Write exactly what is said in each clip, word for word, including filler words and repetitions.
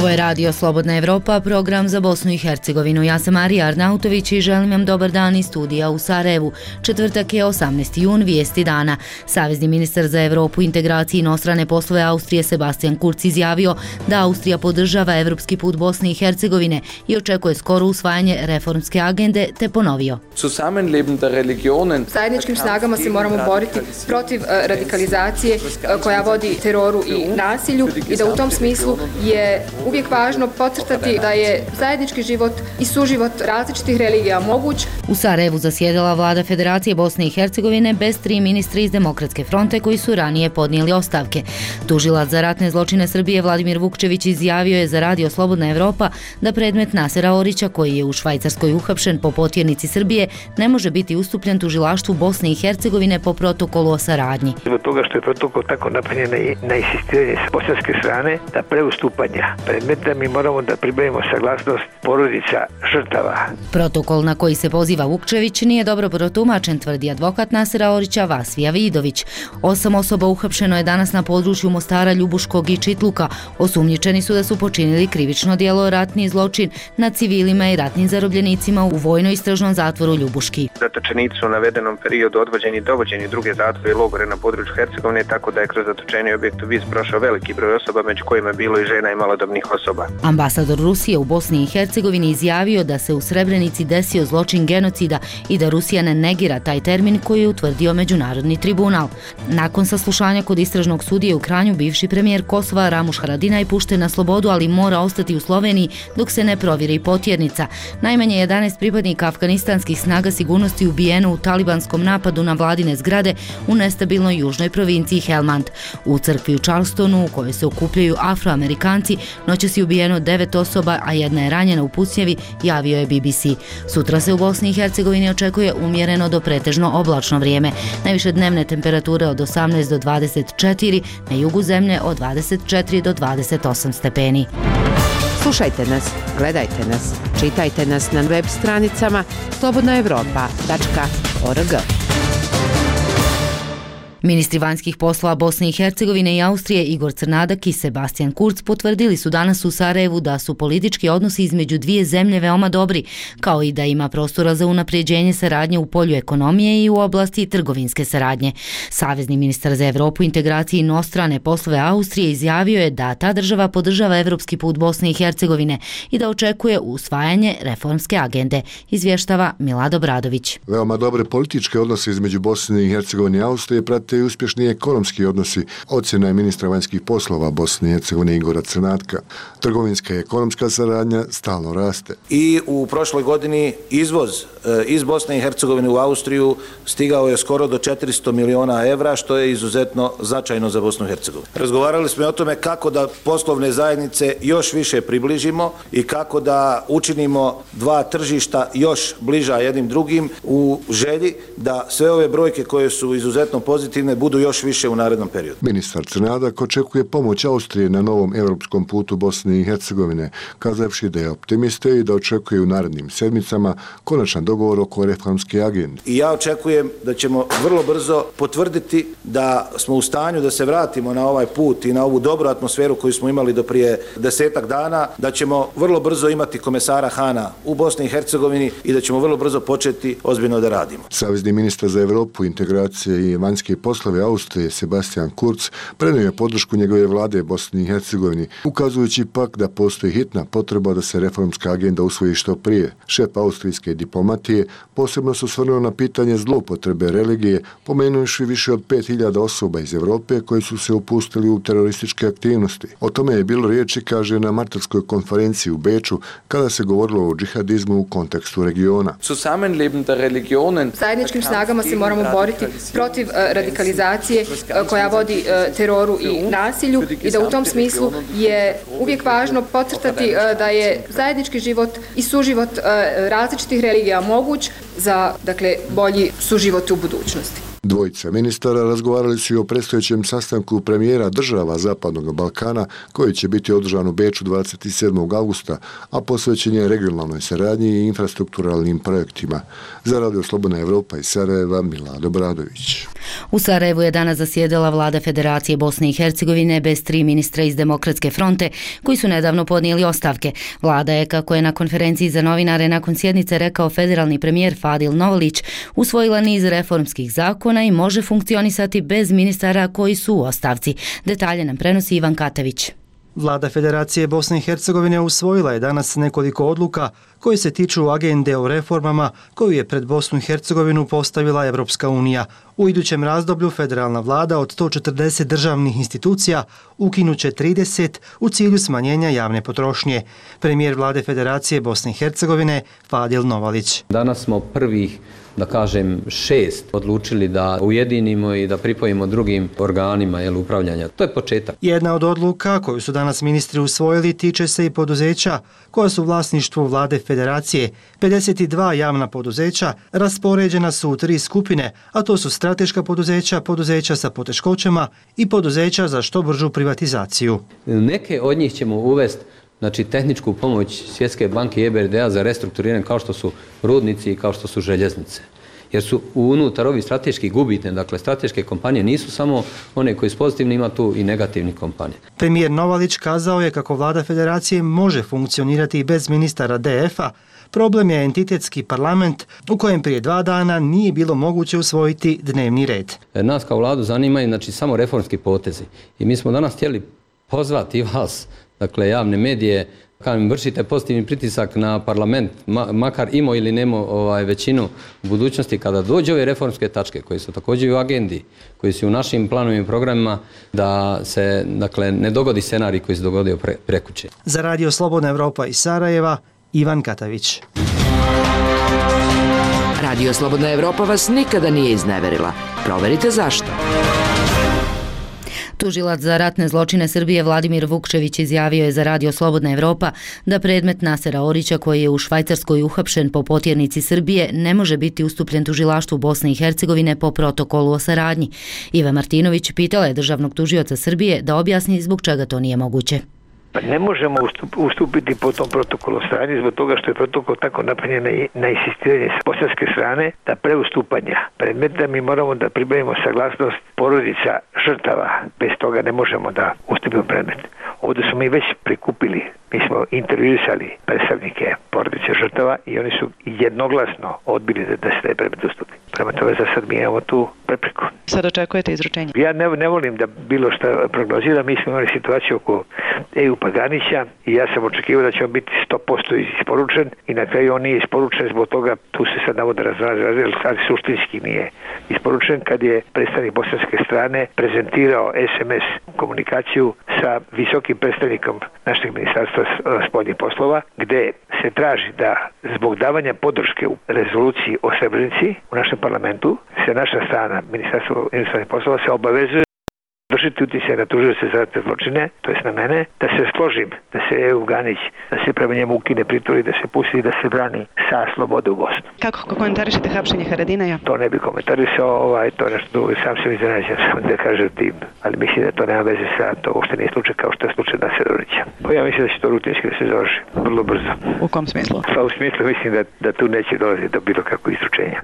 Ovo je Radio Slobodna Evropa, program za Bosnu i Hercegovinu. Ja sam Marija Arnautović i želim vam dobar dan iz studija u Sarajevu. Četvrtak je osamnaesti jun, vijesti dana. Savezni ministar za Evropu, integraciju i inostrane poslove Austrije Sebastian Kurz izjavio da Austrija podržava evropski put Bosne i Hercegovine i očekuje skoro usvajanje reformske agende, te ponovio. Zajedničkim snagama se moramo boriti protiv radikalizacije koja vodi teroru i nasilju i da u tom smislu je uvijek važno podcrtati da je zajednički život i suživot različitih religija moguć. U Sarajevu zasjedala vlada Federacije Bosne i Hercegovine bez tri ministra iz Demokratske fronte koji su ranije podnijeli ostavke. Tužilac za ratne zločine Srbije Vladimir Vukčević izjavio je za Radio Slobodna Evropa da predmet Nasera Orića, koji je u Švajcarskoj uhapšen po potjernici Srbije, ne može biti ustupljen tužilaštvu Bosne i Hercegovine po protokolu o saradnji. Zbog toga što je protokol tako napravljen na insistiranje s bosanske strane da pre ustupanja predmeta mi moramo da pribavimo saglasnost porodica žrtava. Protokol na koji se poziva Vukčević nije dobro protumačen, tvrdi advokat Nasera Orića Vasvija Vidović. Osam osoba uhapšeno je danas na području Mostara, Ljubuškog i Čitluka. Osumnjičeni su da su počinili krivično djelo ratni zločin nad civilima i ratnim zarobljenicima u vojno-istražnom zatvoru Ljubuški. Zatočenici su u navedenom periodu odvođeni i dovođeni u druge zatvore i logore na području Hercegovine, tako da je kroz zatočeni objekt u Vis prošao veliki broj osoba, među kojima je bilo i žena i malodobnih osoba. Ambasador Rusije u Bosni i Hercegovini izjavio da se u Srebrenici desio zločin genocida i da Rusija ne negira taj termin koji je utvrdio Međunarodni tribunal. Nakon saslušanja kod istražnog sudije u Kranju, bivši premijer Kosova Ramuš Haradinaj pušten na slobodu, ali mora ostati u Sloveniji dok se ne provjeri potjernica. Najmanje jedanaest pripadnika afganistanskih snaga sigurnosti ubijeno u talibanskom napadu na vladine zgrade u nestabilnoj južnoj provinciji Helmand. U crkvi u Charlestonu, u kojoj se okupljaju Afroamerikanci, noćas je ubijeno devet osoba, a jedna je ranjena u pucnjevi, javio je B B C. Sutra se u Bosni i Hercegovini očekuje umjereno do pretežno oblačno vrijeme. Najviše dnevne temperature od osamnaest do dvadeset četiri, na jugu zemlje od dvadeset četiri do dvadeset osam stepeni. Slušajte nas, gledajte nas, čitajte nas na web stranicama slobodna evropa tačka org. Ministri vanjskih poslova Bosne i Hercegovine i Austrije Igor Crnadak i Sebastian Kurz potvrdili su danas u Sarajevu da su politički odnosi između dvije zemlje veoma dobri, kao i da ima prostora za unapređenje saradnje u polju ekonomije i u oblasti trgovinske saradnje. Savezni ministar za Evropu, integraciju i inostrane poslove Austrije izjavio je da ta država podržava evropski put Bosne i Hercegovine i da očekuje usvajanje reformske agende, izvještava Milad Obradović. Veoma dobre političke odnose između Bosne i Hercegovine i Austrije prate i uspješni ekonomski odnosi, ocjena je ministra vanjskih poslova Bosne i Hercegovine Igora Crnatka. Trgovinska i ekonomska saradnja stalno raste. I u prošloj godini izvoz iz Bosne i Hercegovine u Austriju stigao je skoro do četiristo miliona evra, što je izuzetno značajno za Bosnu i Hercegovinu. Razgovarali smo o tome kako da poslovne zajednice još više približimo i kako da učinimo dva tržišta još bliža jednim drugim u želji da sve ove brojke koje su izuzetno pozitivne budu još više u narednom periodu. Ministar Crnadak očekuje pomoć Austrije na novom europskom putu Bosne i Hercegovine, kazavši da je optimista i da očekuje u narednim sedmicama konačan dogovor oko reformske agende. I ja očekujem da ćemo vrlo brzo potvrditi da smo u stanju da se vratimo na ovaj put i na ovu dobru atmosferu koju smo imali do prije desetak dana, da ćemo vrlo brzo imati komesara Hana u Bosni i Hercegovini i da ćemo vrlo brzo početi ozbiljno da radimo. Savezni ministar za Evropu, integracije i vanjske poslove Austrije Sebastian Kurz prenio je podršku njegove vlade Bosni i Hercegovini, ukazujući pak da postoji hitna potreba da se reformska agenda usvoji što prije. Šef austrijske diplomatije posebno se osvrnuo na pitanje zloupotrebe religije, pomenujući više od pet hiljada osoba iz Europe koji su se upustili u terorističke aktivnosti. O tome je bilo riječi, kaže, na martovskoj konferenciji u Beču, kada se govorilo o džihadizmu u kontekstu regiona. Zajedničkim snagama se moramo boriti protiv radikalizacije koja vodi teroru i nasilju i da u tom smislu je uvijek važno podcrtati da je zajednički život i suživot različitih religija moguć za, dakle, bolji suživot u budućnosti. Dvojica ministara razgovarali su i o predstojećem sastanku premijera država Zapadnog Balkana koji će biti održan u Beču dvadeset sedmog augusta, a posvećen je regionalnoj saradnji i infrastrukturalnim projektima. Za Radio Slobodna Evropa iz Sarajeva, Milad Obradović. U Sarajevu je danas zasjedala vlada Federacije Bosne i Hercegovine bez tri ministra iz Demokratske fronte koji su nedavno podnijeli ostavke. Vlada je, kako je na konferenciji za novinare nakon sjednice rekao federalni premijer Fadil Novalić, usvojila niz reformskih zakona i može funkcionisati bez ministara koji su u ostavci. Detalje nam prenosi Ivan Katević. Vlada Federacije Bosne i Hercegovine usvojila je danas nekoliko odluka koje se tiču agende o reformama koju je pred Bosnu i Hercegovinu postavila Evropska unija. U idućem razdoblju federalna vlada od sto četrdeset državnih institucija ukinuće trideset u cilju smanjenja javne potrošnje. Premijer vlade Federacije Bosne i Hercegovine Fadil Novalić. Danas smo prvih, da kažem, šest odlučili da ujedinimo i da pripojimo drugim organima jel, upravljanja. To je početak. Jedna od odluka koju su danas ministri usvojili tiče se i poduzeća koja su u vlasništvu vlade Federacije. pedeset dva javna poduzeća raspoređena su u tri skupine, a to su strateška poduzeća, poduzeća sa poteškoćama i poduzeća za što bržu privatizaciju. Neke od njih ćemo uvesti znači tehničku pomoć Svjetske banke i E B R D-a za restrukturiranje kao što su rudnici i kao što su željeznice. Jer su unutar ovih strateških gubitne, dakle strateške kompanije nisu samo one koji su pozitivni, ima tu i negativnih kompanija. Premijer Novalić kazao je kako vlada Federacije može funkcionirati i bez ministara D F-a. Problem je entitetski parlament u kojem prije dva dana nije bilo moguće usvojiti dnevni red. Nas kao vladu zanimaju znači, samo reformski potezi. I mi smo danas htjeli pozvati vas, dakle javne medije, kad vršite pozitivni pritisak na parlament, ma, makar imao ili nemo ovaj, većinu u budućnosti, kada dođe ove reformske tačke koje su također u agendi, koji su u našim planovima i programima, da se dakle, ne dogodi scenarij koji se dogodio pre, prekuće. Za Radio Slobodna Evropa iz Sarajeva, Ivan Katavić. Radio Slobodna Evropa vas nikada nije izneverila. Proverite zašto. Tužilac za ratne zločine Srbije Vladimir Vukčević izjavio je za Radio Slobodna Evropa da predmet Nasera Orića, koji je u Švajcarskoj uhapšen po potjernici Srbije, ne može biti ustupljen tužilaštvu Bosne i Hercegovine po protokolu o saradnji. Iva Martinović pitala je državnog tužioca Srbije da objasni zbog čega to nije moguće. Pa ne možemo ustupiti po tom protokolu saradnje zbog toga što je protokol tako napravljen na insistiranje s bosanske strane da pre ustupanja predmeta mi moramo da pribavimo saglasnost porodica žrtava. Bez toga ne možemo da ustupimo predmet. Ovdje smo mi već prikupili, mi smo intervjuisali predstavnike porodice žrtava i oni su jednoglasno odbili da, da se taj predmet ustupi. Prema tome za sad mi imamo tu prepreku. Sad očekujete izručenje? Ja ne, ne volim da bilo šta prognoziram. Mi smo imali situaciju oko Eju Paganića i ja sam očekivao da će on biti sto posto isporučen i na kraju on nije isporučen, zbog toga tu se sad navode razražaju, ali suštinski nije isporučen kad je predstavnik bosanske strane prezentirao es em es komunikaciju sa visokim predstavnikom našeg ministarstva spoljnih poslova, gde se traži da zbog davanja podrške u rezoluciji o Srebrenici u našem parlamentu se naša strana, ministarstvo inostranih poslova, se obavezuje vršiti utjecaj na tužioce za ratne zločine, to jest na mene, da se složim, da se Eju Ganić, da se prema njemu ukine pritvor i da se pusti da se brani sa slobode u Bosnu. Kako komentarišete hapšenje Haradinaja? To ne bi komentarisao, ovaj, to je nešto drugo, sam se iznenađen, sam da kažem tim, ali mislim da to nema veze sa to, uopšte nije slučaj kao što je slučaj Nasera Orića. Pa ja mislim da će to rutinski da se završi, vrlo brzo. U kom smislu? Pa u smislu mislim da, da tu neće dolaziti do bilo kakvog izručenja.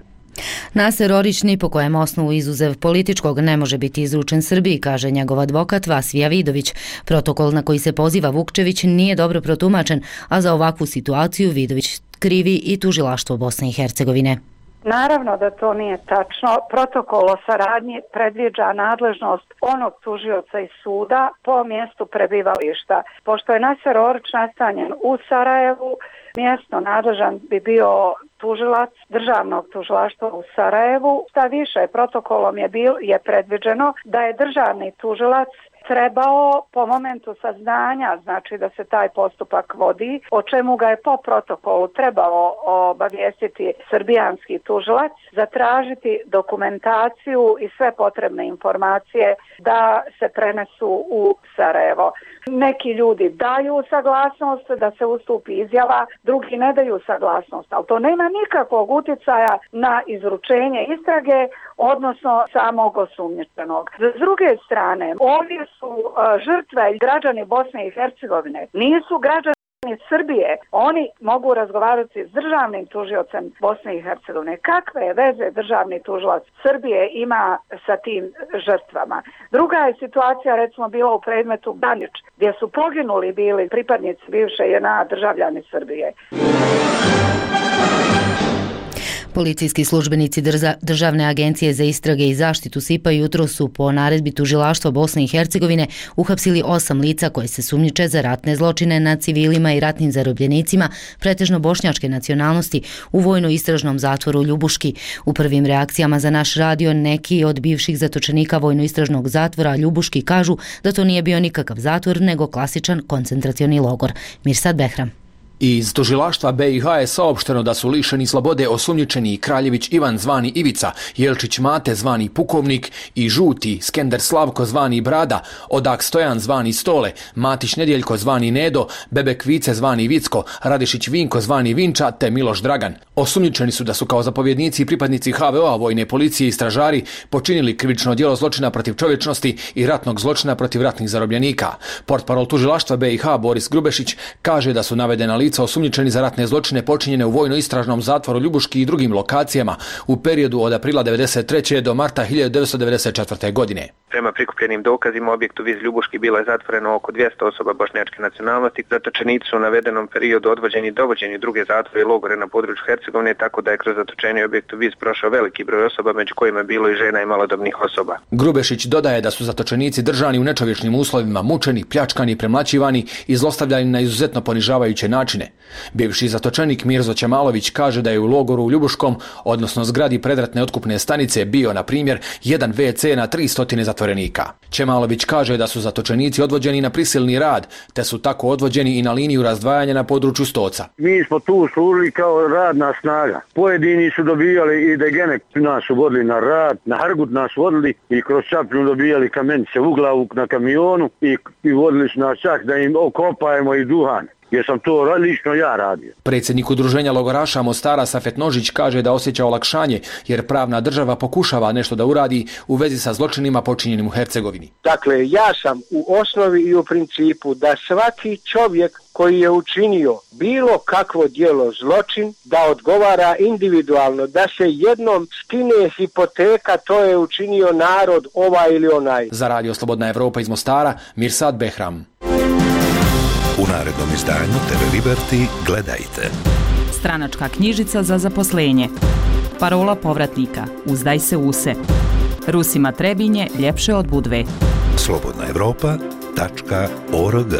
Naser Orić ni po kojem osnovu izuzev političkog ne može biti izručen Srbiji, kaže njegov advokat Vasvija Vidović. Protokol na koji se poziva Vukčević nije dobro protumačen, a za ovakvu situaciju Vidović krivi i tužilaštvo Bosne i Hercegovine. Naravno da to nije tačno. Protokol o saradnji predviđa nadležnost onog tužioca iz suda po mjestu prebivališta. Pošto je Naser Orić nastanjen u Sarajevu, mjesno nadležan bi bio tužilac državnog tužilaštva u Sarajevu. Šta više, protokolom je, bil, je predviđeno da je državni tužilac trebao po momentu saznanja, znači da se taj postupak vodi, o čemu ga je po protokolu trebalo obavijestiti srbijanski tužilac, zatražiti dokumentaciju i sve potrebne informacije da se prenesu u Sarajevo. Neki ljudi daju saglasnost da se ustupi izjava, drugi ne daju saglasnost, ali to nema nikakvog utjecaja na izručenje istrage, odnosno samog osumnjičenog. S druge strane, ovdje su uh, žrtve građani Bosne i Hercegovine, nisu građani iz Srbije, oni mogu razgovarati s državnim tužiocem Bosne i Hercegovine. Kakve veze državni tužilac Srbije ima sa tim žrtvama? Druga je situacija recimo bila u predmetu Banić, gdje su poginuli bili pripadnici bivše J N A državljani Srbije. Policijski službenici Državne agencije za istrage i zaštitu S I P-a jutro su po naredbi tužilaštva Bosne i Hercegovine uhapsili osam lica koje se sumnjiče za ratne zločine nad civilima i ratnim zarobljenicima, pretežno bošnjačke nacionalnosti, u vojno-istražnom zatvoru Ljubuški. U prvim reakcijama za naš radio neki od bivših zatočenika vojno-istražnog zatvora Ljubuški kažu da to nije bio nikakav zatvor, nego klasičan koncentracioni logor. Mirsad Behram. Iz tužilaštva B i H je saopšteno da su lišeni slobode osumnjičeni Kraljević Ivan zvani Ivica, Jelčić Mate zvani Pukovnik i Žuti Skender Slavko zvani Brada, Odak Stojan zvani Stole, Matić Nedjeljko zvani Nedo, Bebek Vice zvani Vicko, Radišić Vinko zvani Vinča te Miloš Dragan. Osumnjičeni su da su kao zapovjednici i pripadnici H V O-a, vojne policije i stražari počinili krivično djelo zločina protiv čovječnosti i ratnog zločina protiv ratnih zarobljenika. Portparol tužilaštva B i H Boris Grubešić kaže da su navedena lica osumnjičeni za ratne zločine počinjene u vojno-istražnom zatvoru Ljubuški i drugim lokacijama u periodu od aprila devedeset treće do marta hiljadu devetsto devedeset četvrte. godine. Prema prikupljenim dokazima u objektu Viz Ljubuški bilo je zatvoreno oko dvjesto osoba bošnjačke nacionalnosti. Zatočenici su u navedenom periodu odvođeni i dovođeni druge zatvore i logore na području Hercegovine, tako da je kroz zatočenje u objektu Viz prošao veliki broj osoba, među kojima je bilo i žena i malodobnih osoba. Grubešić dodaje da su zatočenici držani u nečovječnim uslovima, mučeni, pljačkani, premlaćivani i zlostavljani na izuzetno ponižavajuće načine. Bivši zatočenik Mirzo Ćemalović kaže da je u logoru u Ljubuškom, odnosno zgradi predratne otkupne stanice, bio, na primjer, jedan ve ce na tristo zatvorenika. Ćemalović kaže da su zatočenici odvođeni na prisilni rad, te su tako odvođeni i na liniju razdvajanja na području Stoca. Mi smo tu služili kao radna snaga. Pojedini su dobijali i degenek nas su vodili na rad, na Hargut nas vodili i kroz Čapljinu dobijali kamenice u glavu na kamionu i, i vodili su nas čak da im okopajemo i duhan. Jer sam to lično ja radio. Predsjednik udruženja logoraša Mostara Safet Nožić kaže da osjeća olakšanje jer pravna država pokušava nešto da uradi u vezi sa zločinima počinjenim u Hercegovini. Dakle, ja sam u osnovi i u principu da svaki čovjek koji je učinio bilo kakvo djelo zločin, da odgovara individualno, da se jednom skine hipoteka, to je učinio narod ovaj ili onaj. Za Radio Slobodna Evropa iz Mostara, Mirsad Behram. U narednom izdanju T V Liberty gledajte. Stranačka knjižica za zaposlenje. Parola povratnika. Uzdaj se use. Rusima Trebinje ljepše od Budve. slobodna evropa tačka org.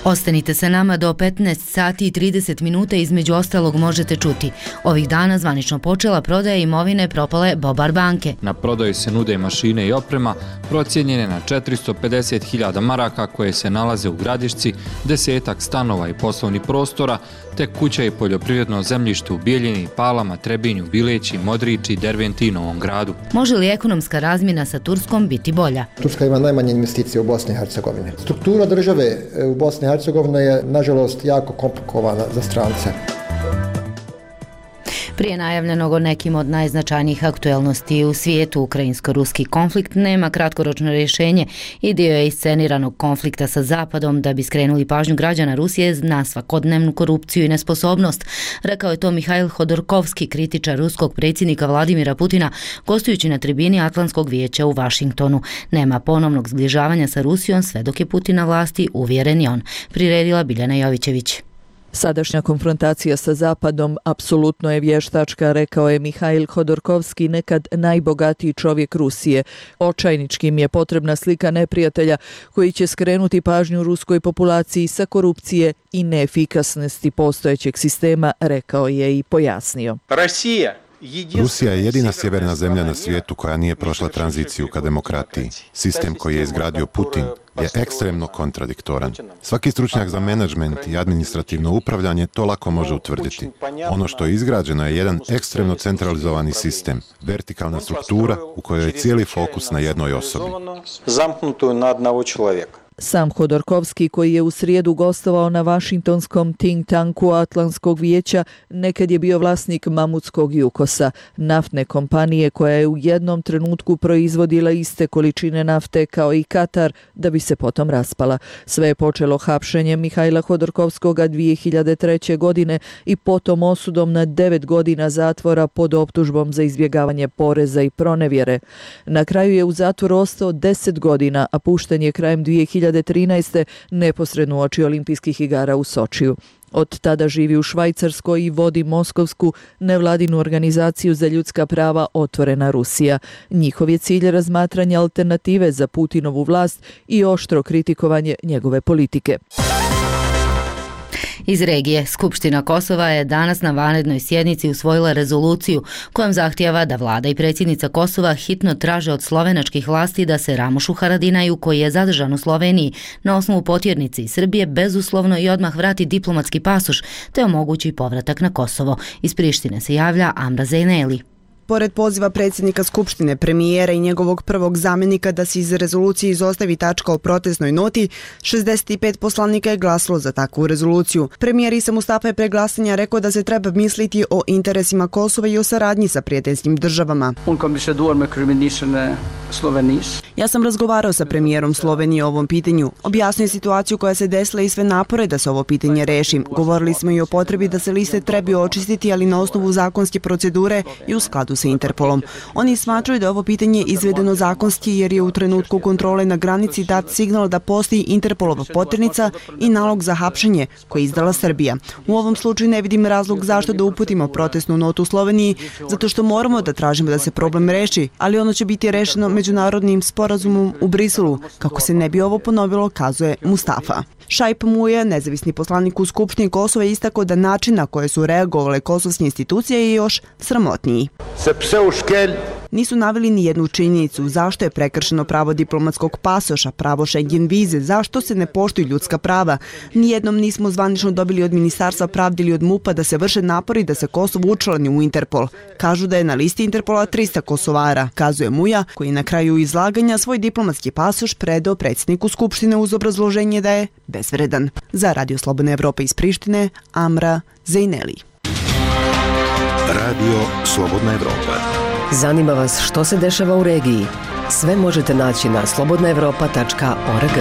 Ostanite sa nama do petnaest sati i trideset minuta, između ostalog možete čuti. Ovih dana zvanično počela prodaja imovine propale Bobar banke. Na prodaju se nude mašine i oprema procijenjene na četiristo pedeset hiljada maraka koje se nalaze u Gradišci, desetak stanova i poslovnih prostora, te kuća i poljoprivredno zemljište u Bijeljini, Palama, Trebinju, Bileći, Modriči, Derventi i Novom Gradu. Može li ekonomska razmjena sa Turskom biti bolja? Turska ima najmanje investicije u Bosni i Hercegovini. Struktura države u Bosni i Hercegovini je, nažalost, jako komplikovana za strance. Prije najavljenog o nekim od najznačajnijih aktuelnosti u svijetu, ukrajinsko-ruski konflikt nema kratkoročno rješenje i dio je isceniranog konflikta sa Zapadom da bi skrenuli pažnju građana Rusije na svakodnevnu korupciju i nesposobnost. Rekao je to Mihail Hodorkovski, kritičar ruskog predsjednika Vladimira Putina, gostujući na tribini Atlantskog vijeća u Vašingtonu. Nema ponovnog zbližavanja sa Rusijom sve dok je Putin na vlasti, uvjeren je on. Priredila Biljana Jovićević. Sadašnja konfrontacija sa Zapadom apsolutno je vještačka, rekao je Mihail Hodorkovski, nekad najbogatiji čovjek Rusije. Očajničkim je potrebna slika neprijatelja koji će skrenuti pažnju ruskoj populaciji sa korupcije i neefikasnosti postojećeg sistema, rekao je i pojasnio. Rusija Rusija je jedina sjeverna zemlja na svijetu koja nije prošla tranziciju ka demokratiji. Sistem koji je izgradio Putin je ekstremno kontradiktoran. Svaki stručnjak za menadžment i administrativno upravljanje to lako može utvrditi. Ono što je izgrađeno je jedan ekstremno centralizovani sistem, vertikalna struktura u kojoj je cijeli fokus na jednoj osobi. Sam Hodorkovski, koji je u srijedu gostovao na vašingtonskom think tanku Atlantskog vijeća, nekad je bio vlasnik Mamutskog Jukosa, naftne kompanije koja je u jednom trenutku proizvodila iste količine nafte kao i Katar, da bi se potom raspala. Sve je počelo hapšenjem Mihajla Hodorkovskoga dvije hiljade treće. godine i potom osudom na devet godina zatvora pod optužbom za izbjegavanje poreza i pronevjere. Na kraju je u zatvoru ostao deset godina, a pušten je krajem dvije hiljade trinaeste. neposredno uoči olimpijskih igara u Sočiju. Od tada živi u Švajcarskoj i vodi moskovsku nevladinu organizaciju za ljudska prava Otvorena Rusija. Njihov je cilj razmatranje alternative za Putinovu vlast i oštro kritikovanje njegove politike. Iz regije, Skupština Kosova je danas na vanrednoj sjednici usvojila rezoluciju kojom zahtijeva da vlada i predsjednica Kosova hitno traže od slovenačkih vlasti da se Ramušu Haradinaju, koji je zadržan u Sloveniji na osnovu potjernice iz Srbije, bezuslovno i odmah vrati diplomatski pasoš te omogući povratak na Kosovo. Iz Prištine se javlja Amra Zejneli. Pored poziva predsjednika Skupštine, premijera i njegovog prvog zamjenika da se iz rezolucije izostavi tačka o protestnoj noti, šezdeset pet poslanika je glasalo za takvu rezoluciju. Premijer Isa Mustafa je pre glasanja rekao da se treba misliti o interesima Kosova i o saradnji sa prijateljskim državama. Ja sam razgovarao sa premijerom Slovenije o ovom pitanju. Objasnio je situaciju koja se desila i sve napore da se ovo pitanje reši. Govorili smo i o potrebi da se liste trebaju očistiti, ali na osnovu zakonske procedure i u skladu sa Interpolom. Oni smatraju da je ovo pitanje izvedeno zakonski jer je u trenutku kontrole na granici dat signal da postoji Interpolova potjernica i nalog za hapšenje koji je izdala Srbija. U ovom slučaju ne vidim razlog zašto da uputimo protestnu notu u Sloveniji, zato što moramo da tražimo da se problem reši, ali ono će biti rešeno međunarodnim sporazumom u Briselu, kako se ne bi ovo ponovilo, kazuje Mustafa. Šaip Muja, nezavisni poslanik u Skupštini Kosova, je istakao da način na koje su reagovale kosovske institucije je još sramotniji. Nisu naveli ni jednu činjenicu zašto je prekršeno pravo diplomatskog pasoša, pravo Schengen vize, zašto se ne poštuju ljudska prava. Nijednom nismo zvanično dobili od Ministarstva pravde ili od MUP-a da se vrše napori da se Kosovo učlani u Interpol. Kažu da je na listi Interpola trista Kosovara, kazuje Muja, koji na kraju izlaganja svoj diplomatski pasoš predao predsjedniku Skupštine uz obrazloženje da je bezvredan. Za Radio Slobodna Evropa iz Prištine, Amra Zejneli. Radio Slobodna Evropa. Zanima vas što se dešava u regiji? Sve možete naći na slobodna evropa tačka org.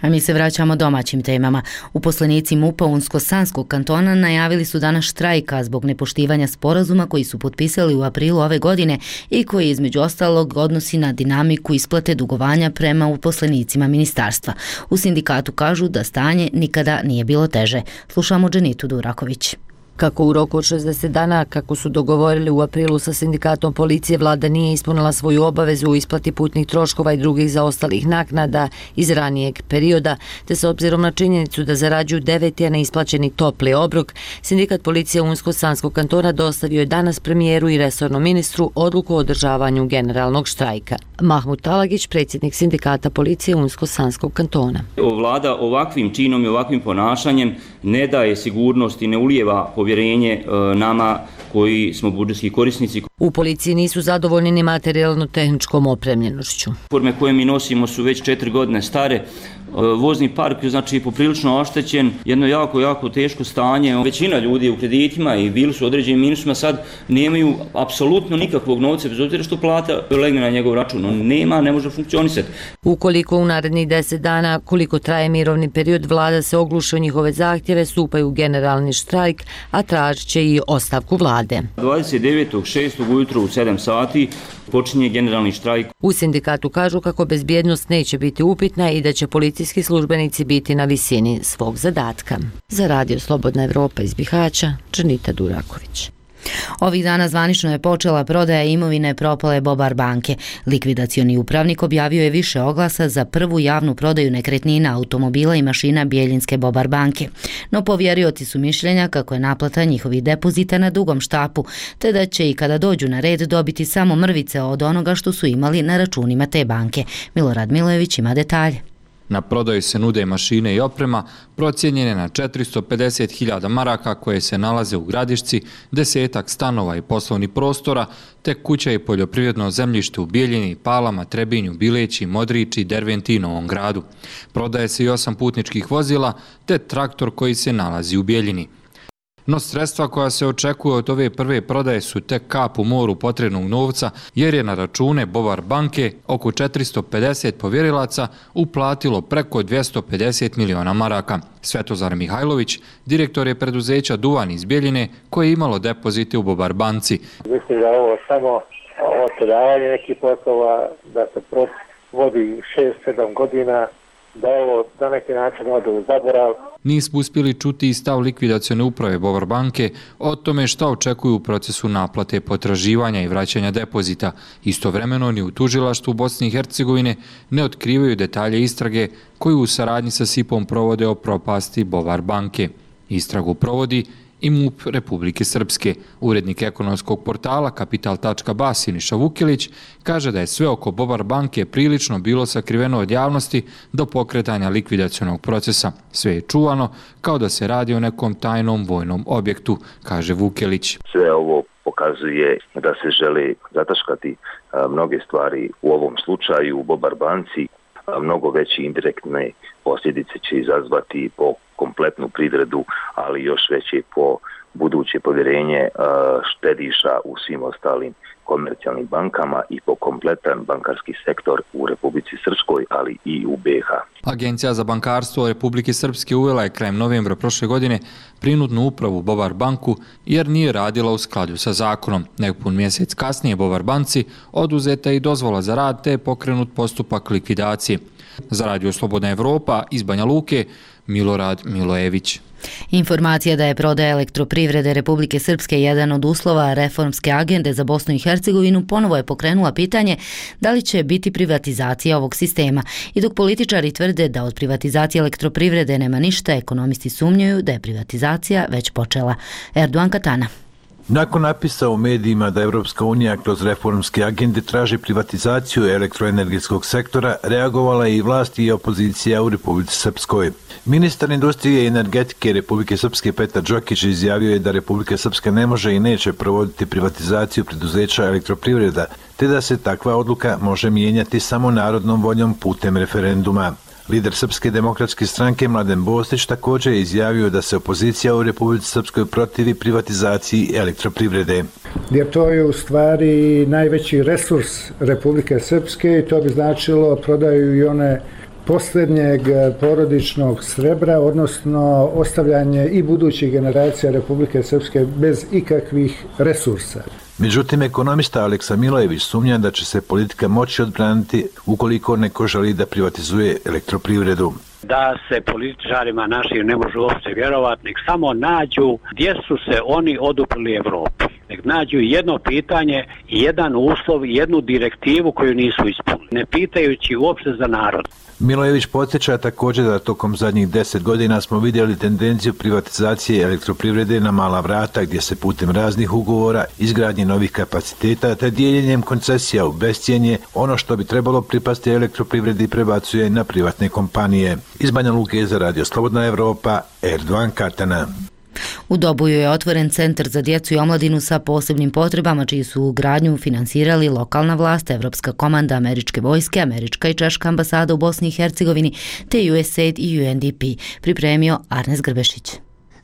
A mi se vraćamo domaćim temama. Uposlenici MUP-a Unsko-Sanskog kantona najavili su danas štrajka zbog nepoštivanja sporazuma koji su potpisali u aprilu ove godine i koji između ostalog odnosi na dinamiku isplate dugovanja prema uposlenicima ministarstva. U sindikatu kažu da stanje nikada nije bilo teže. Slušamo Dženitu Duraković. Kako u roku od šezdeset dana, kako su dogovorili u aprilu sa sindikatom policije, vlada nije ispunila svoju obavezu u isplati putnih troškova i drugih zaostalih naknada iz ranijeg perioda, te s obzirom na činjenicu da zarađuju deveti, a neisplaćeni topli obrok, sindikat policije Unsko-Sanskog kantona dostavio je danas premijeru i resornom ministru odluku o održavanju generalnog štrajka. Mahmut Talagić, predsjednik sindikata policije Unsko-Sanskog kantona. Vlada ovakvim činom i ovakvim ponašanjem ne daje sigurnost i ne ulijeva povjerenje nama koji smo budžetski korisnici. U policiji nisu zadovoljni ni materijalno-tehničkom opremljenošću. Forme koje mi nosimo su već četiri godine stare. Vozni park je znači poprilično oštećen, jedno jako, jako teško stanje. Većina ljudi u kreditima i bili su određenim minusima, sad nemaju apsolutno nikakvog novca, bez obzira što plata legne na njegov račun. On nema, ne može funkcionisati. Ukoliko u narednih deset dana, koliko traje mirovni period, vlada se ogluši o njihove zahtjeve, stupaju u generalni štrajk, a tražit će i ostavku vlade. dvadeset devetog šestog ujutro u sedam sati počinje generalni štrajk. U sindikatu kažu kako bezbjednost neće biti upitna i da će policijski službenici biti na visini svog zadatka. Za Radio Slobodna Evropa iz Bihaća, Džanita Duraković. Ovih dana zvanično je počela prodaja imovine propale Bobar banke. Likvidacioni upravnik objavio je više oglasa za prvu javnu prodaju nekretnina, automobila i mašina Bijeljinske Bobar banke. No povjerioci su mišljenja kako je naplata njihovih depozita na dugom štapu, te da će i kada dođu na red dobiti samo mrvice od onoga što su imali na računima te banke. Milorad Milojević ima detalje. Na prodaju se nude mašine i oprema procijenjene na četiristo pedeset hiljada maraka koje se nalaze u Gradišci, desetak stanova i poslovnih prostora, te kuća i poljoprivredno zemljište u Bijeljini, Palama, Trebinju, Bileći, Modrići, Derventi i Novom Gradu. Prodaje se i osam putničkih vozila te traktor koji se nalazi u Bijeljini. No sredstva koja se očekuju od ove prve prodaje su tek kap u moru potrebnog novca, jer je na račune Bovar banke oko četiristo pedeset povjerilaca uplatilo preko dvjesto pedeset miliona maraka. Svetozar Mihajlović, direktor je preduzeća Duvan iz Bijeljine, koje je imalo depozite u Bovar banci. Mislim da ovo samo otpredavanje nekih poslova, da se proces vodi šest sedam godina, da ovo na neki način ode u zaborav. Nismo uspjeli čuti i stav likvidacione uprave Bovar banke o tome šta očekuju u procesu naplate potraživanja i vraćanja depozita. Istovremeno ni u tužilaštvu Bosne i Hercegovine ne otkrivaju detalje istrage koju u saradnji sa S I P-om provode o propasti Bovar banke. Istragu provodi i M U P Republike Srpske. Urednik ekonomskog portala kapital tačka ba Siniša Vukilić kaže da je sve oko Bovar banke prilično bilo sakriveno od javnosti do pokretanja likvidacionog procesa. Sve je čuvano kao da se radi o nekom tajnom vojnom objektu, kaže Vukilić. Sve ovo pokazuje da se žele zataškati mnoge stvari u ovom slučaju u Bovar banci. Mnogo veće indirektne posljedice će izazvati po kompletnu privredu, ali još veće po buduće povjerenje štediša u svim ostalim komercijalnim bankama i po kompletan bankarski sektor u Republici Srpskoj, ali i u B i H. Agencija za bankarstvo Republike Srpske uvela je krajem novembra prošle godine prinudnu upravu Bovar banku jer nije radila u skladu sa zakonom. Nepun mjesec kasnije Bovar banci oduzeta je i dozvola za rad te je pokrenut postupak likvidacije. Za Radio Slobodna Evropa iz Banja Luke, Milorad Milojević. Informacija da je prodaja elektroprivrede Republike Srpske jedan od uslova reformske agende za Bosnu i Hercegovinu ponovo je pokrenula pitanje da li će biti privatizacija ovog sistema. I dok političari tvrde da od privatizacije elektroprivrede nema ništa, ekonomisti sumnjaju da je privatizacija već počela. Erdogan Katana. Nakon napisa u medijima da Evropska unija kroz reformske agende traži privatizaciju elektroenergetskog sektora, reagovala je i vlast i opozicija u Republici Srpskoj. Ministar industrije i energetike Republike Srpske Petar Đokić izjavio je da Republika Srpska ne može i neće provoditi privatizaciju preduzeća elektroprivreda, te da se takva odluka može mijenjati samo narodnom voljom putem referenduma. Lider Srpske demokratske stranke Mladen Bostić također je izjavio da se opozicija u Republici Srpskoj protivi privatizaciji elektroprivrede. Jer to je u stvari najveći resurs Republike Srpske i to bi značilo prodaju i one posljednjeg porodičnog srebra, odnosno ostavljanje i budućih generacija Republike Srpske bez ikakvih resursa. Međutim, ekonomista Aleksa Milojević sumnja da će se politika moći odbraniti ukoliko neko želi da privatizuje elektroprivredu. Da se političarima našim ne može uopće vjerovati, nek samo nađu gdje su se oni oduprli Evropi. Nek nađu jedno pitanje, jedan uslov, jednu direktivu koju nisu ispunili, ne pitajući uopće za narod. Milojević podsjeća također da tokom zadnjih deset godina smo vidjeli tendenciju privatizacije elektroprivrede na mala vrata, gdje se putem raznih ugovora, izgradnje novih kapaciteta te dijeljenjem koncesija u bescijenje ono što bi trebalo pripasti elektroprivredi prebacuje na privatne kompanije. Iz Banja Luke za Radio Slobodna Evropa, Erdogan Katana. U Doboju je otvoren centar za djecu i omladinu sa posebnim potrebama, čiji su gradnju finansirali lokalna vlast, Evropska komanda američke vojske, američka i češka ambasada u Bosni i Hercegovini, te U S A I D i U N D P, pripremio Arnes Grbešić.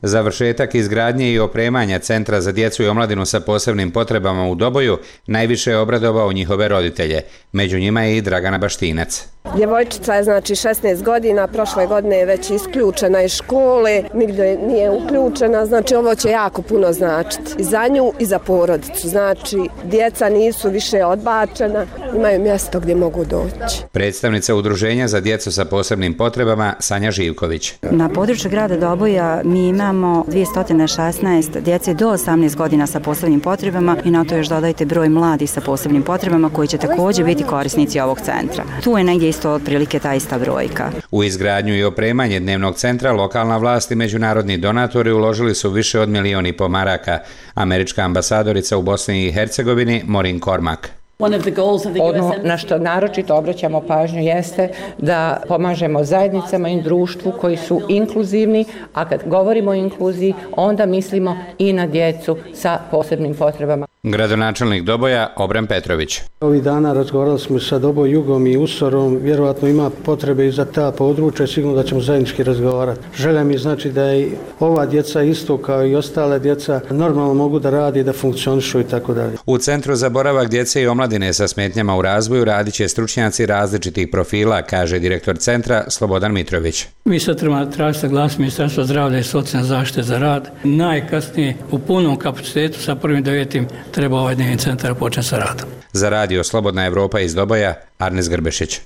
Završetak izgradnje i opremanja Centra za djecu i omladinu sa posebnim potrebama u Doboju najviše je obradovao njihove roditelje. Među njima je i Dragana Baštinac. Djevojčica je znači šesnaest godina, prošle godine je već isključena iz škole, nigdje nije uključena, znači ovo će jako puno značiti i za nju i za porodicu. Znači djeca nisu više odbačena, imaju mjesto gdje mogu doći. Predstavnica Udruženja za djecu sa posebnim potrebama Sanja Živković. Na području grada Doboja mi imamo dvjesto šesnaest djece do osamnaest godina sa posebnim potrebama i na to još dodajte broj mladih sa posebnim potrebama koji će također biti korisnici ovog centra. Tu je negdje isto otprilike ta ista brojka. U izgradnju i opremanje dnevnog centra lokalna vlast i međunarodni donatori uložili su više od milion i po maraka. Američka ambasadorica u Bosni i Hercegovini Maureen Cormack. Ono na što naročito obraćamo pažnju jeste da pomažemo zajednicama i društvu koji su inkluzivni, a kad govorimo o inkluziji, onda mislimo i na djecu sa posebnim potrebama. Gradonačelnik Doboja Obran Petrović. Ovih dana razgovarali smo sa Doboj Jugom i Usorom, vjerovatno ima potrebe i za ta područja, sigurno da ćemo zajednički razgovarati. Želja mi znači da i ova djeca isto kao i ostale djeca normalno mogu da radi, da funkcionišu i tako dalje. U Centru za boravak djece i omladine sa smetnjama u razvoju radit će stručnjaci različitih profila, kaže direktor centra Slobodan Mitrović. Mi sad trebamo tražiti saglasnost Ministarstva zdravlja i socijalne zaštite za rad. Najkasnije u punom kapacitetu sa prvim devetim treba ovaj dnevni centar početi sa radom. Za radio Slobodna Evropa iz Doboja, Arnes Grbešić.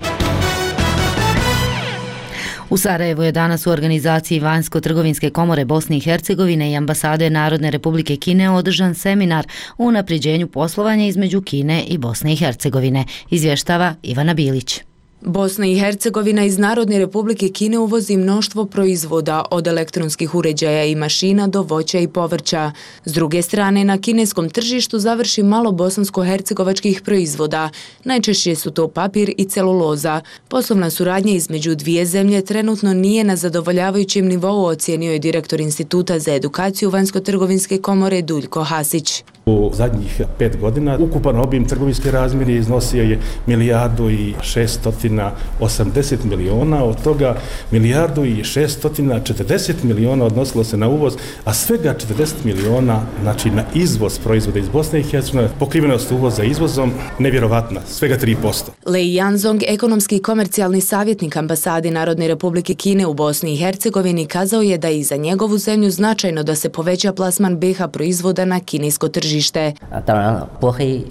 U Sarajevu je danas u organizaciji Vanjsko-trgovinske komore Bosne i Hercegovine i ambasade Narodne Republike Kine održan seminar o unapređenju poslovanja između Kine i Bosne i Hercegovine, izvještava Ivana Bilić. Bosna i Hercegovina iz Narodne Republike Kine uvozi mnoštvo proizvoda od elektronskih uređaja i mašina do voća i povrća. S druge strane, na kineskom tržištu završi malo bosansko-hercegovačkih proizvoda. Najčešće su to papir i celuloza. Poslovna suradnja između dvije zemlje trenutno nije na zadovoljavajućem nivou, ocijenio je direktor Instituta za edukaciju Vanjsko-trgovinske komore Duljko Hasić. U zadnjih pet godina ukupan obim trgovinske razmjere iznosio je milijardu i šeststotina osamdeset miliona, od toga milijardu i šeststotina četrdeset miliona odnosilo se na uvoz, a svega četrdeset miliona znači na izvoz proizvoda iz Bosne i Hercegovine. Pokrivenost uvoza izvozom nevjerovatna, svega tri posto. Lei Yanzong, ekonomski i komercijalni savjetnik ambasade Narodne Republike Kine u Bosni i Hercegovini, kazao je da je i za njegovu zemlju značajno da se poveća plasman B iH proizvoda na kinesko tržište.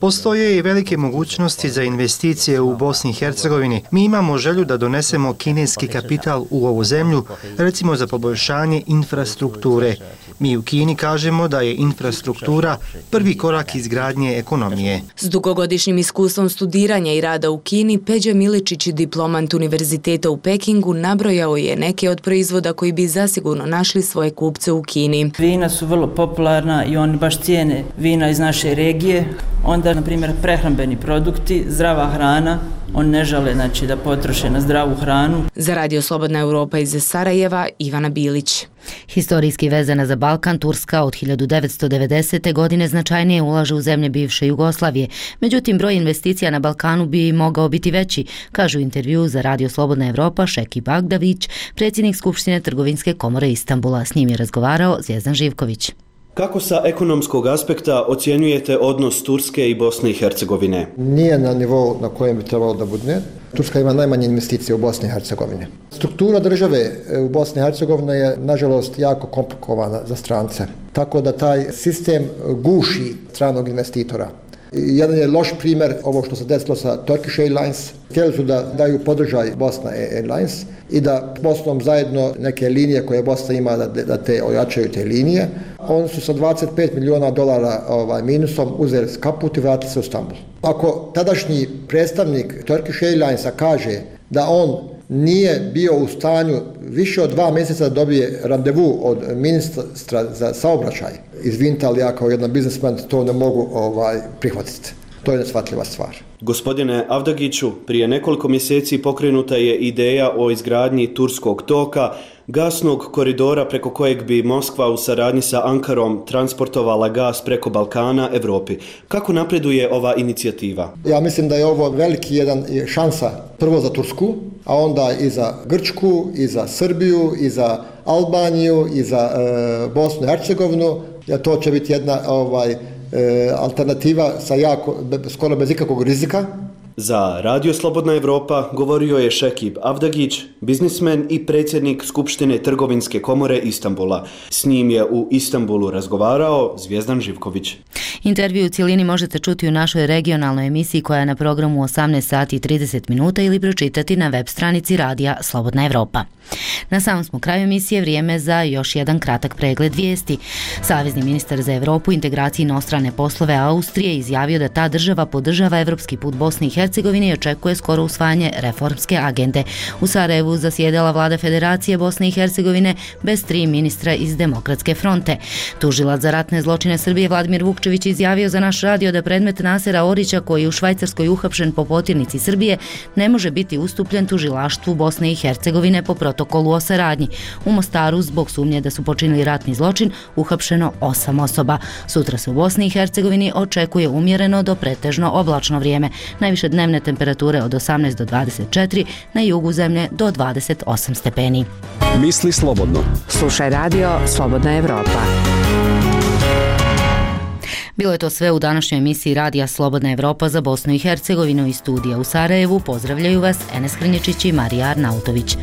Postoje i velike mogućnosti za investicije u Bosni i Hercegovini. Mi imamo želju da donesemo kineski kapital u ovu zemlju, recimo za poboljšanje infrastrukture. Mi u Kini kažemo da je infrastruktura prvi korak izgradnje ekonomije. S dugogodišnjim iskustvom studiranja i rada u Kini, Peđa Miličić, diplomant Univerziteta u Pekingu, nabrojao je neke od proizvoda koji bi zasigurno našli svoje kupce u Kini. Vina su vrlo popularna i oni baš cijene vina iz naše regije. Onda, na primjer, prehrambeni produkti, zdrava hrana, oni ne žele znači, da potroše na zdravu hranu. Za radio Slobodna Evropa iz Sarajeva, Ivana Bilić. Historijski vezana za Balkan, Turska od hiljadu devetsto devedesete. godine značajnije ulaže u zemlje bivše Jugoslavije. Međutim, broj investicija na Balkanu bi mogao biti veći, kažu u intervju za radio Slobodna Evropa Šeki Bagdavić, predsjednik Skupštine Trgovinske komore Istanbula. S njim je razgovarao Zvijezdan Živković. Kako sa ekonomskog aspekta ocjenjujete odnos Turske i Bosne i Hercegovine? Nije na nivou na kojem bi trebalo da bude. Turska ima najmanje investicije u Bosni i Hercegovini. Struktura države u Bosni i Hercegovini je, nažalost, jako komplikovana za strance. Tako da taj sistem guši stranog investitora. Jedan je loš primjer ovo što se desilo sa Turkish Airlines. Htjeli su da daju podržaj Bosna Airlines i da s Bosnom zajedno neke linije koje Bosna ima da, da te ojačaju te linije. Oni su sa dvadeset pet miliona dolara ovaj, minusom uzeli kaput i vratili se u Istanbul. Ako tadašnji predstavnik Turkish Airlinesa kaže da on nije bio u stanju više od dva mjeseca da dobije randevu od ministra za saobraćaj, izvinite, ali ja kao jedan biznisman to ne mogu ovaj, prihvatiti. To je neshvatljiva stvar. Gospodine Avdagiću, prije nekoliko mjeseci pokrenuta je ideja o izgradnji Turskog toka, gasnog koridora preko kojeg bi Moskva u saradnji sa Ankarom transportovala gas preko Balkana Evropi. Kako napreduje ova inicijativa? Ja mislim da je ovo veliki jedan šansa prvo za Tursku, a onda i za Grčku, i za Srbiju, i za Albaniju, i za e, Bosnu i Hercegovinu. Ja, to će biti jedna ovaj, e, alternativa sa jako, skoro bez ikakvog rizika. Za Radio Slobodna Evropa govorio je Šekib Avdagić, biznismen i predsjednik Skupštine Trgovinske komore Istanbula. S njim je u Istanbulu razgovarao Zvijezdan Živković. Intervju u cijelini možete čuti u našoj regionalnoj emisiji koja je na programu osamnaest sati i trideset minuta ili pročitati na web stranici Radija Slobodna Evropa. Na samom smo kraju emisije, vrijeme za još jedan kratak pregled vijesti. Savezni ministar za Evropu, integraciju i inostrane poslove Austrije izjavio da ta država podržava evropski put Bosne i Hercegovine Hercegovini i očekuje skoro usvajanje reformske agende. U Sarajevu zasjedala vlada Federacije Bosne i Hercegovine bez tri ministra iz Demokratske fronte. Tužilac za ratne zločine Srbije Vladimir Vukčević izjavio za naš radio da predmet Nasera Orića, koji je u Švajcarskoj uhapšen po potirnici Srbije, ne može biti ustupljen tužilaštvu Bosne i Hercegovine po protokolu o saradnji. U Mostaru zbog sumnje da su počinili ratni zločin uhapšeno osam osoba. Sutra se u Bosni i Hercegovini očekuje umjereno do pretežno oblačno vrijeme. Najviše dnevne temperature od osamnaest do dvadeset četiri, na jugu zemlje do dvadeset osam stepeni. Misli slobodno. Slušaj radio Slobodna Evropa. Bilo je to sve u današnjoj emisiji Radija Slobodna Evropa za Bosnu i Hercegovinu. Iz studija u Sarajevu pozdravljaju vas Enes Hrnječić i Marija Arnautović.